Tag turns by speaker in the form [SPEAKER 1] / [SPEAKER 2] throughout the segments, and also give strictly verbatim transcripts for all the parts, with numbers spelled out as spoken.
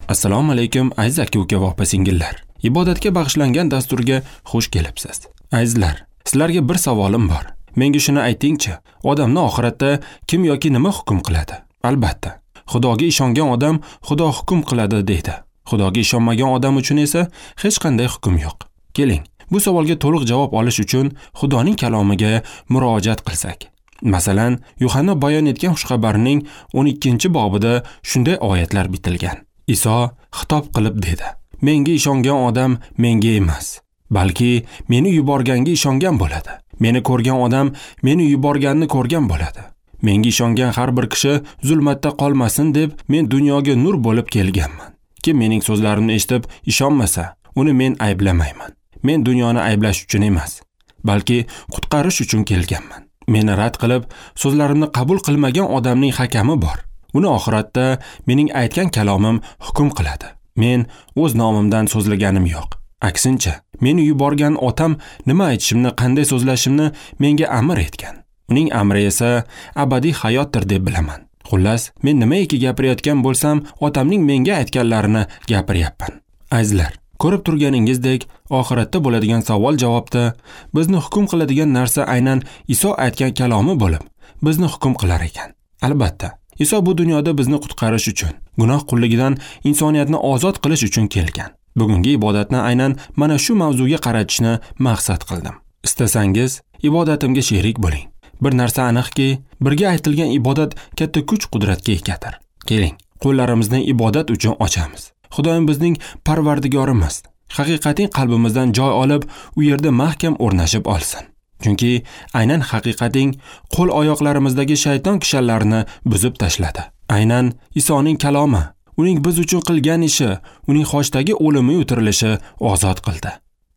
[SPEAKER 1] Assalomu alaykum aziz aka-uka va opa-singillar. Ibodatga bag'ishlangan dasturga xush kelibsiz. Azizlar, sizlarga bir savolim bor. Menga shuni aytingchi, odamni oxiratda kim yoki nima hukm qiladi? Albatta, Xudoga ishongan odam Xudo hukm qiladi deydi. Xudoga ishonmagan odam uchun esa hech qanday hukm yo'q. Keling, bu savolga to'liq javob olish uchun Xudoning kalomiga murojaat qilsak. Masalan, Yuhanna bayon etgan xushxabarning o'n ikkinchi bobida shunday oyatlar bitilgan. Iso xitob qilib dedi: Menga ishongan odam menga emas, balki meni yuborganga ishongan bo'ladi. Meni ko'rgan odam meni yuborganni ko'rgan bo'ladi. Menga ishongan har bir kishi zulmatda qolmasin deb men dunyoga nur bo'lib kelganman. Kim mening so'zlarimni eshitib ishonmasa, uni men ayblamayman. Men dunyoni ayblash uchun emas, balki qutqarish uchun kelganman. Meni rad qilib, so'zlarimni qabul qilmagan odamning hakami bor. Uni oxiratda mening aytgan kalomim hukm qiladi. Men o'z nomimdan so'zlaganim yo'q. Aksincha, meni yuborgan otam nima aytishimni, qanday so'zlashimni menga amr etgan. Uning amri esa abadiy hayotdir deb bilaman. Xullas, men nimaiki gapirayotgan bo'lsam, otamning menga aytganlarini gapiryapman. Azizlar, ko'rib turganingizdek, oxiratda bo'ladigan savol-javobda bizni hukm qiladigan narsa aynan Iso aytgan kalomi bo'lib, bizni hukm qilar ekan. Albatta, Iso bu dunyoda bizni qutqarish uchun, gunoh qulligidan insoniyatni ozod qilish uchun kelgan. Bugungi ibodatni aynan mana shu mavzuga qaratishni maqsad qildim. Istasangiz, ibodatimga sherik bo'ling. Bir narsa aniqki, birga aytilgan ibodat katta kuch-qudratga egadir. Keling, qo'llarimizni ibodat uchun ochamiz. Xudoyim bizning Parvardigorimiz. Haqiqating qalbimizdan joy olib, u yerda mahkam o'rnashib olsin. Chunki aynan haqiqating qo'l oyoqlarimizdagi shayton kishanlarini buzib tashladi. Aynan Isoning kalomi, uning biz uchun qilgan ishi, uning xochdagi o'limi o'tirilishi ozod qildi.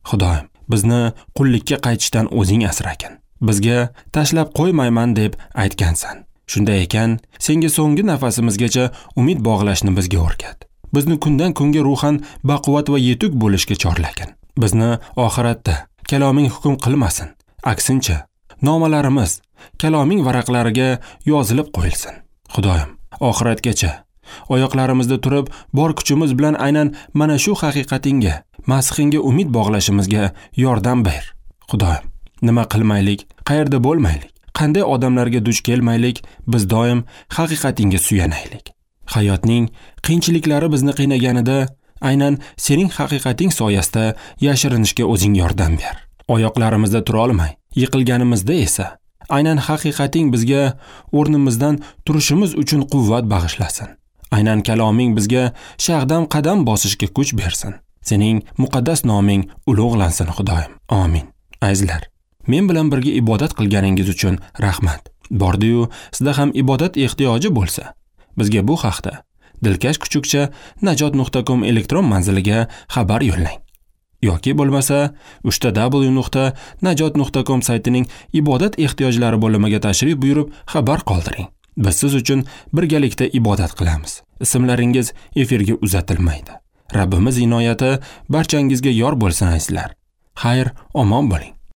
[SPEAKER 1] Xudoyim, bizni qullikka qaytishdan o'zing asragin. Bizga tashlab qo'ymayman deb aytgansan. Shunday ekan, senga so'nggi nafasimizgacha umid bog'lashni bizga o'rgat. Bizni kundan kunga ruhan baquvvat va yetuk bo'lishga chorlagin. Bizni oxiratda kaloming hukm qilmasin. Aksincha, nomalarimiz kaloming varaqlariga yozilib qo'yilsin. Xudoyim, oxiratgacha oyoqlarimizda turib, bor kuchimiz bilan aynan mana shu haqiqatingga, Masihingga umid bog'lashimizga yordam ber. Xudoyim, nima qilmaylik, qayerda bo'lmaylik, qanday odamlarga duch kelmaylik, biz doim haqiqatingga suyanaylik. Hayotning qiyinchiliklari bizni qiynaganida, aynan sening haqiqating soyasida yashirinishga o'zing yordam ber. Oyoqlarimizda tura olmay, yiqilganimizda esa aynan haqiqating bizga o'rnimizdan turishimiz uchun quvvat bag'ishlasin. Aynan kaloming bizga shag'dam qadam bosishga kuch bersin. Sening muqaddas noming ulug'lansin, Xudoyim. Amin. Azizlar, men bilan birga ibodat qilganingiz uchun rahmat. Bordi-yu, sizda ham ibodat ehtiyoji bo'lsa, bizga bu haqda dilkash kuchukcha najot nuqta com elektron manziliga xabar yo'llang. Yoki bo'lmasa uchta w nuqta najot nuqta com saytining ibodat ehtiyojlari bo'limiga tashrif buyurib xabar qoldiring. Biz siz uchun birgalikda ibodat qilamiz. Ismlaringiz efirga uzatilmaydi. Rabbimiz inoyati barchangizga yor bo'lsin azizlar. Xayr, omon bo'ling.